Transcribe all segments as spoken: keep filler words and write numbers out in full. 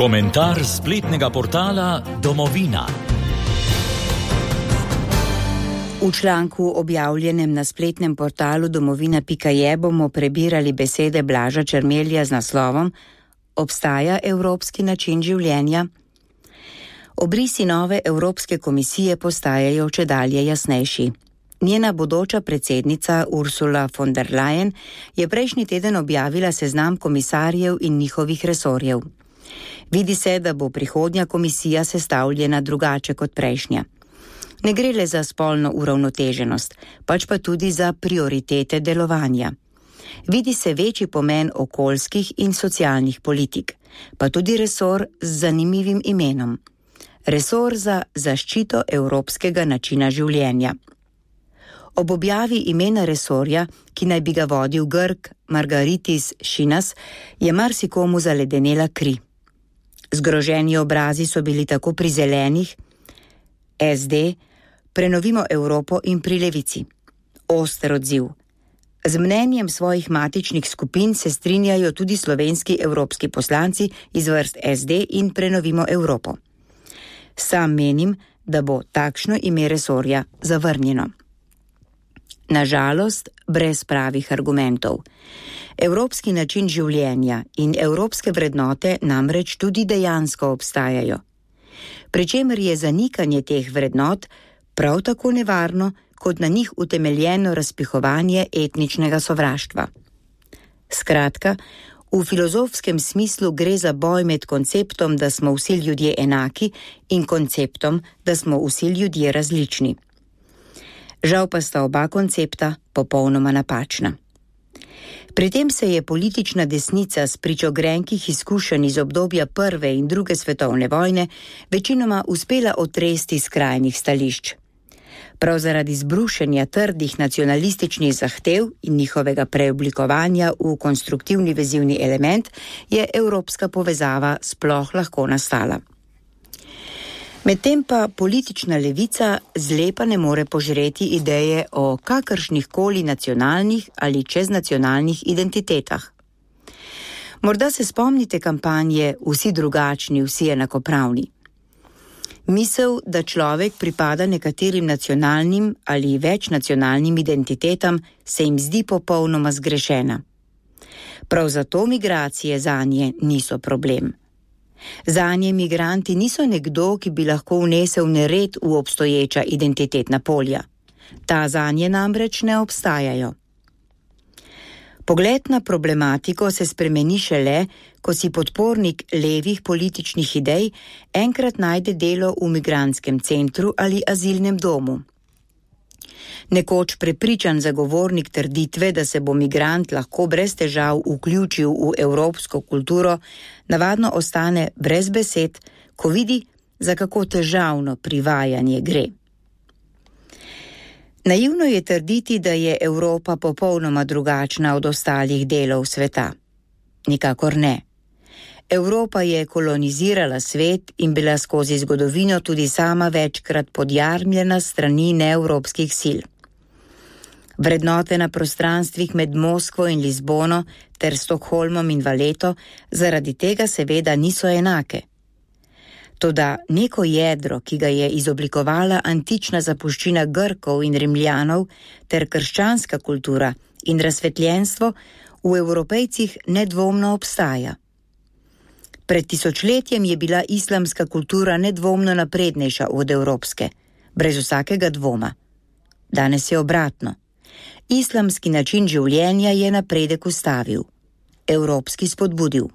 Komentar spletnega portala Domovina. V članku objavljenem na spletnem portalu domovina pika je bomo prebirali besede Blaža Čermelja z naslovom Obstaja evropski način življenja? Obrisi nove Evropske komisije postajajo čedalje jasnejši. Njena bodoča predsednica Ursula von der Leyen je prejšnji teden objavila seznam komisarjev in njihovih resorjev. Vidi se, da bo prihodnja komisija sestavljena drugače kot prejšnja. Ne gre le za spolno uravnoteženost, pač pa tudi za prioritete delovanja. Vidi se večji pomen okoljskih in socialnih politik, pa tudi resor z zanimivim imenom. Resor za zaščito evropskega načina življenja. Ob objavi imena resorja, ki naj bi ga vodil Grk Margaritis Šinas, je marsikomu zaledenela kri. Zgroženi obrazi so bili tako pri zelenih, es de, Prenovimo Evropo in pri Levici. Oster odziv. Z mnenjem svojih matičnih skupin se strinjajo tudi slovenski evropski poslanci iz vrst es de in Prenovimo Evropo. Sam menim, da bo takšno ime resorja zavrnjeno. Nažalost, brez pravih argumentov. Evropski način življenja in evropske vrednote namreč tudi dejansko obstajajo. Pričemer je zanikanje teh vrednot prav tako nevarno, kot na njih utemeljeno razpihovanje etničnega sovraštva. Skratka, v filozofskem smislu gre za boj med konceptom, da smo vsi ljudje enaki, in konceptom, da smo vsi ljudje različni. Žal pa sta oba koncepta popolnoma napačna. Pri tem se je politična desnica s pričo grenkih izkušenj iz obdobja prve in druge svetovne vojne večinoma uspela otresti skrajnih stališč. Prav zaradi zbrušenja trdih nacionalističnih zahtev in njihovega preoblikovanja v konstruktivni vezivni element je evropska povezava sploh lahko nastala. Medtem pa politična levica zlepa ne more požreti ideje o kakršnih koli nacionalnih ali čeznacionalnih identitetah. Morda se spomnite kampanje Vsi drugačni, vsi enakopravni. Misel, da človek pripada nekaterim nacionalnim ali večnacionalnim identitetam, se jim zdi popolnoma zgrešena. Prav zato migracije zanje niso problem. Zanje migranti niso nekdo, ki bi lahko vnesel nered v obstoječa identitetna polja. Ta zanje namreč ne obstajajo. Pogled na problematiko se spremeni šele, ko si podpornik levih političnih idej enkrat najde delo v migrantskem centru ali azilnem domu. Nekoč prepričan zagovornik trditve, da se bo migrant lahko brez težav vključil v evropsko kulturo, navadno ostane brez besed, ko vidi, za kako težavno privajanje gre. Naivno je trditi, da je Evropa popolnoma drugačna od ostalih delov sveta. Nikakor ne. Evropa je kolonizirala svet in bila skozi zgodovino tudi sama večkrat podjarmljena strani neevropskih sil. Vrednote na prostranstvih med Moskvo in Lizbono ter Stokholmom in Valeto zaradi tega seveda niso enake. Toda neko jedro, ki ga je izoblikovala antična zapuščina Grkov in Rimljanov ter krščanska kultura in razsvetljenstvo, v Evropejcih nedvomno obstaja. Pred tisočletjem je bila islamska kultura nedvomno naprednejša od evropske, brez vsakega dvoma. Danes je obratno. Islamski način življenja je napredek ustavil, evropski spodbudil.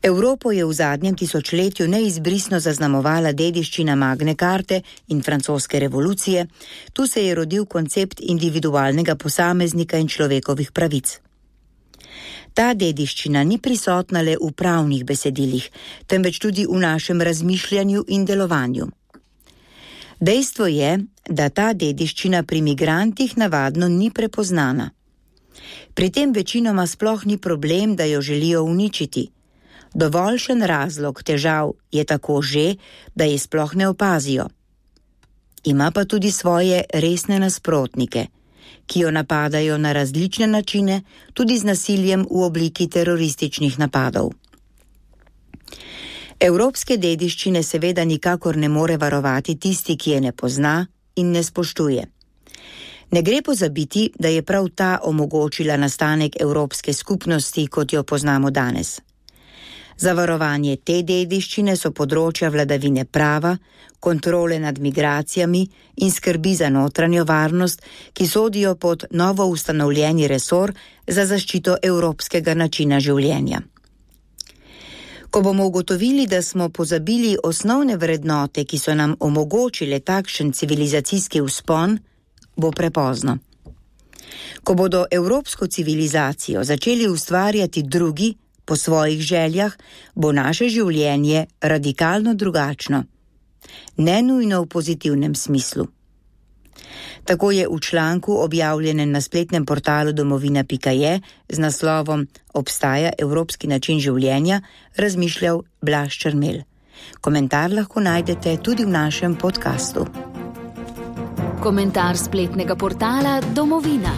Evropo je v zadnjem tisočletju neizbrisno zaznamovala dediščina Magne Carte in francoske revolucije, tu se je rodil koncept individualnega posameznika in človekovih pravic. Ta dediščina ni prisotna le v pravnih besedilih, temveč tudi v našem razmišljanju in delovanju. Dejstvo je, da ta dediščina pri migrantih navadno ni prepoznana. Pri tem večinoma sploh ni problem, da jo želijo uničiti. Dovoljšen razlog težav je tako že, da je sploh ne opazijo. Ima pa tudi svoje resne nasprotnike, ki jo napadajo na različne načine, tudi z nasiljem v obliki terorističnih napadov. Evropske dediščine seveda nikakor ne more varovati tisti, ki je ne pozna in ne spoštuje. Ne gre pozabiti, da je prav ta omogočila nastanek Evropske skupnosti, kot jo poznamo danes. Za varovanje te dediščine so področja vladavine prava, kontrole nad migracijami in skrbi za notranjo varnost, ki sodijo pod novo ustanovljeni resor za zaščito evropskega načina življenja. Ko bomo ugotovili, da smo pozabili osnovne vrednote, ki so nam omogočile takšen civilizacijski vzpon, bo prepozno. Ko bodo evropsko civilizacijo začeli ustvarjati drugi po svojih željah, bo naše življenje radikalno drugačno, ne nujno v pozitivnem smislu. Tako je v članku, objavljenem na spletnem portalu domovina pika je z naslovom Obstaja evropski način življenja, razmišljal Blaž Črmel. Komentar lahko najdete tudi v našem podkastu. Komentar spletnega portala Domovina.